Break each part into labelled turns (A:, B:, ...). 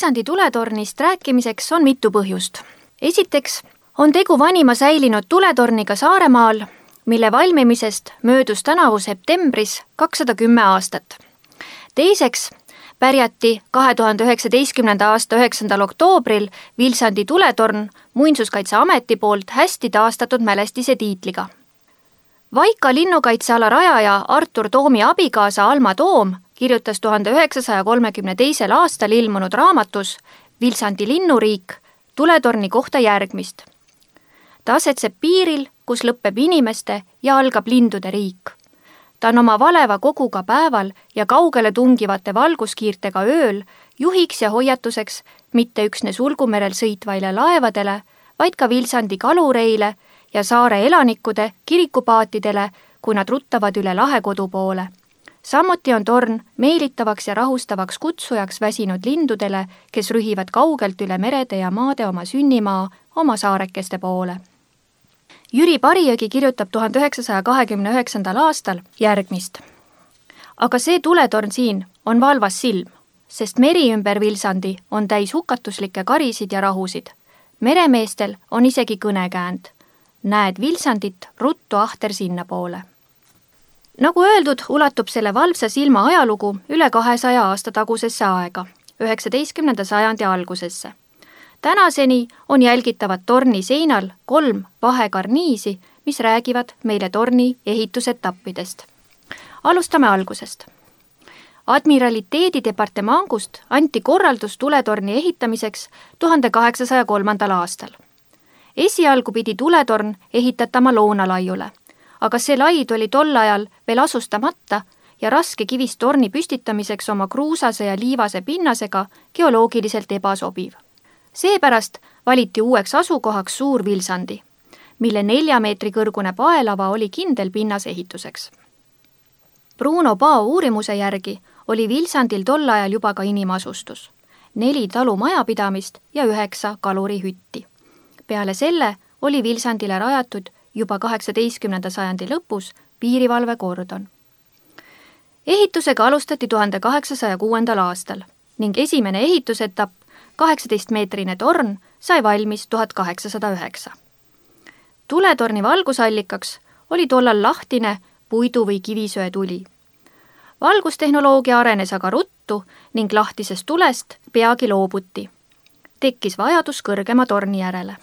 A: Vilsandi tuletornist rääkimiseks on mitu põhjust. Esiteks on tegu vanima säilinud tuletorniga Saaremaal, mille valmimisest möödus tänavu septembris 210 aastat. Teiseks pärjati 2019. aasta 9. oktoobril Vilsandi tuletorn Muinsuskaitseameti poolt hästi taastatud mälestise tiitliga. Vaika linnukaitseala rajaja Artur Toomi abikaasa Alma Toom kirjutas 1932. aastal ilmunud raamatus Vilsandi linnuriik tuletorni kohta järgmist. Ta asetseb piiril, kus lõpeb inimeste ja algab lindude riik. Ta on oma valeva koguga päeval ja kaugele tungivate valguskiirtega ööl juhiks ja hoiatuseks mitte üksnes Ulgumerel sõitvaile laevadele, vaid ka Vilsandi kalureile ja saare elanikkude kirikupaatidele, kui nad ruttavad üle lahe kodu poole. Samuti on torn meelitavaks ja rahustavaks kutsujaks väsinud lindudele, kes rühivad kaugelt üle merede ja maade oma sünnimaa, oma saarekeste poole. Jüri Parijõgi kirjutab 1929. aastal järgmist. Aga see tuletorn siin on valvas silm, sest meri ümber Vilsandi on täis hukatuslikke karisid ja rahusid. Meremeestel on isegi kõnekäänd. Näed Vilsandit, ruttu ahter sinna poole. Nagu öeldud, ulatub selle valvsa silma ajalugu üle 200 aasta tagusesse aega, 19. sajandi algusesse. Tänaseni on jälgitavad torni seinal 3 vahekarniisi, mis räägivad meile torni ehitusetappidest. Alustame algusest. Admiraliteedi departemangust anti korraldus tuletorni ehitamiseks 1803. aastal. Esialgu pidi tuletorn ehitatama Loonalaiule, aga see laid oli tol ajal veel asustamata ja raske kivist torni püstitamiseks oma kruusase ja liivase pinnasega geoloogiliselt ebasobiv. Seepärast valiti uueks asukohaks Suur Vilsandi, mille 4 meetri kõrgune paelava oli kindel pinnas ehituseks. Bruno Pao uurimuse järgi oli Vilsandil tol ajal juba ka inimasustus, 4 talumajapidamist ja 9 kalurihütti. Peale selle oli Vilsandile rajatud juba 18. sajandi lõpus piirivalvekordon. Ehitusega alustati 1806. aastal ning esimene ehitusetapp, 18-meetrine torn, sai valmis 1809. Tuletorni valgusallikaks oli tollal lahtine puidu- või kivisöe tuli. Valgustehnoloogia arenes aga ruttu ning lahtisest tulest peagi loobuti. Tekkis vajadus kõrgema torni järele.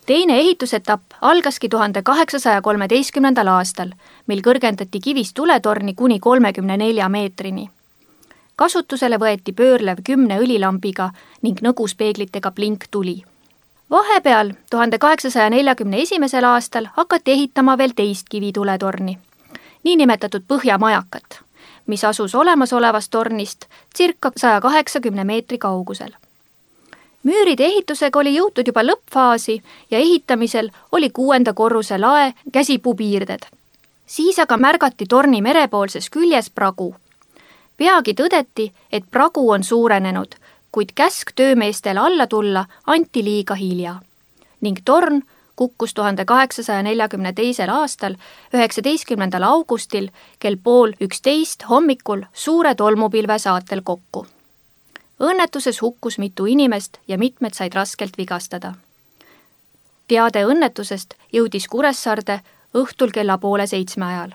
A: Teine ehitusetapp algaski 1813. aastal, mil kõrgendati kivist tuletorni kuni 34 meetrini. Kasutusele võeti pöörlev 10 õlilambiga ning nõguspeeglitega blinktuli. Vahepeal 1841. aastal hakati ehitama veel teist kivituletorni, niinimetatud Põhjamajakat, mis asus olemasolevast tornist circa 180 meetri kaugusel. Müüride ehitusega oli jõutud juba lõppfaasi ja ehitamisel oli 6. korruse lae käsipuupiirded. Siis aga märgati torni merepoolses küljes pragu. Peagi tõdeti, et pragu on suurenenud, kuid käsk töömeestel alla tulla anti liiga hilja. Ning torn kukkus 1842. aastal 19. augustil kell 10:30 hommikul suure tolmupilve saatel kokku. Õnnetuses hukkus mitu inimest ja mitmed said raskelt vigastada. Teade õnnetusest jõudis Kuressaarde õhtul kella 6:30 ajal.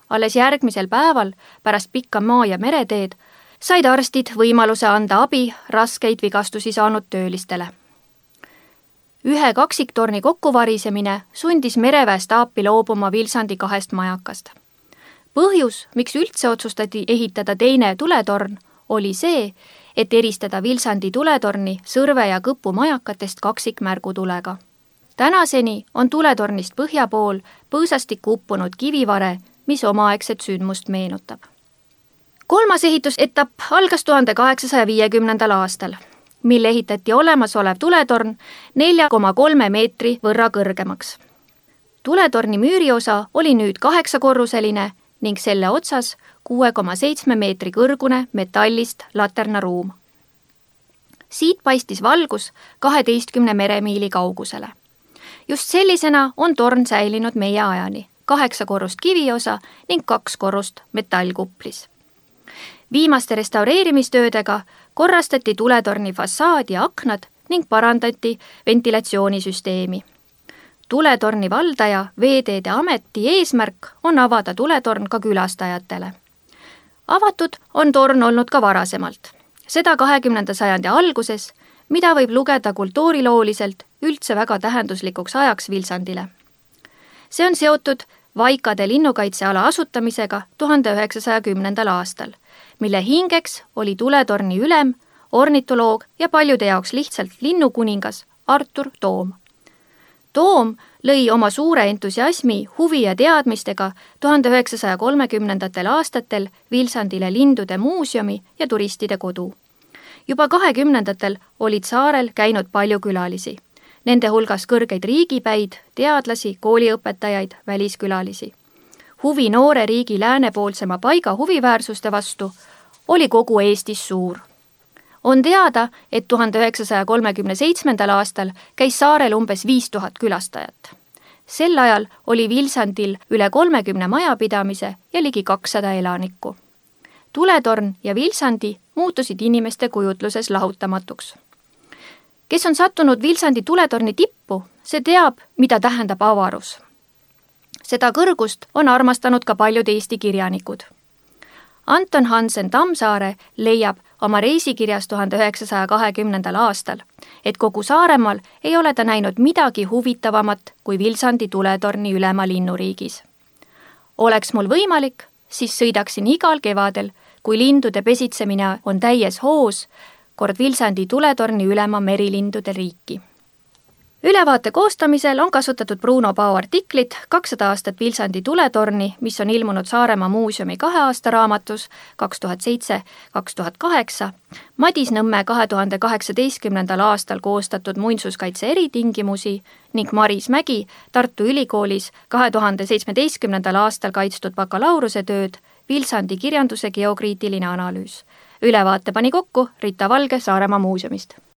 A: Alles järgmisel päeval, pärast pikka maa- ja mereteed, said arstid võimaluse anda abi raskeid vigastusi saanud töölistele. Ühe kaksiktorni kokkuvarisemine sundis mereväestaapi loobuma Vilsandi 2 majakast. Põhjus, miks üldse otsustati ehitada teine tuletorn, oli see, et eristada Vilsandi tuletorni Sõrve ja Kõpu majakatest kaksikmärgutulega. Tänaseni on tuletornist põhja pool põõsastikku uppunud kivivare, mis omaaegset sündmust meenutab. 3. ehitusetapp algas 1850. aastal, mil ehitati olemasolev tuletorn 4,3 meetri võrra kõrgemaks. Tuletorni müüriosa oli nüüd 8-korruseline ning selle otsas 6,7 meetri kõrgune metallist laternaruum. Siit paistis valgus 12 meremiili kaugusele. Just sellisena on torn säilinud meie ajani, 8 korrust kiviosa ning 2 korrust metallkuplis. Viimaste restaureerimistöödega korrastati tuletorni fassaad ja aknad ning parandati ventilatsioonisüsteemi. Tuletorni valdaja Veeteede Ameti eesmärk on avada tuletorn ka külastajatele. Avatud on torn olnud ka varasemalt, seda 20. sajandi alguses, mida võib lugeda kultuurilooliselt üldse väga tähenduslikuks ajaks Vilsandile. See on seotud Vaikade linnukaitseala asutamisega 1910. aastal, mille hingeks oli tuletorni ülem, ornitoloog ja paljude jaoks lihtsalt linnukuningas Artur Toom. Toom lõi oma suure entusiasmi, huvi ja teadmistega 1930. aastatel Vilsandile lindude muuseumi ja turistide kodu. Juba 20. olid saarel käinud palju külalisi, nende hulgas kõrgeid riigipäid, teadlasi, kooliõpetajaid, väliskülalisi. Huvi noore riigi läänepoolsema paiga huviväärsuste vastu oli kogu Eestis suur. On teada, et 1937. aastal käis saarel umbes 5000 külastajat. Sel ajal oli Vilsandil üle 30 majapidamise ja ligi 200 elanikku. Tuletorn ja Vilsandi muutusid inimeste kujutluses lahutamatuks. Kes on sattunud Vilsandi tuletorni tippu, see teab, mida tähendab avarus. Seda kõrgust on armastanud ka paljud Eesti kirjanikud. Anton Hansen Tammsaare leiab oma reisikirjas 1920. aastal, et kogu Saaremaal ei ole ta näinud midagi huvitavamat kui Vilsandi tuletorni ülema linnuriigis. Oleks mul võimalik, siis sõidaksin igal kevadel, kui lindude pesitsemine on täies hoos, kord Vilsandi tuletorni ülema merilindude riiki. Ülevaate koostamisel on kasutatud Bruno Pao artiklit 200 aastat Vilsandi tuletorni, mis on ilmunud Saaremaa muuseumi 2 aasta raamatus 2007-2008, Madis Nõmme 2018. aastal koostatud muinsuskaitse eritingimusi ning Maris Mägi Tartu Ülikoolis 2017. aastal kaitstud bakalaureusetööd Vilsandi kirjanduse geokriitiline analüüs. Ülevaate pani kokku Rita Valge Saaremaa muuseumist.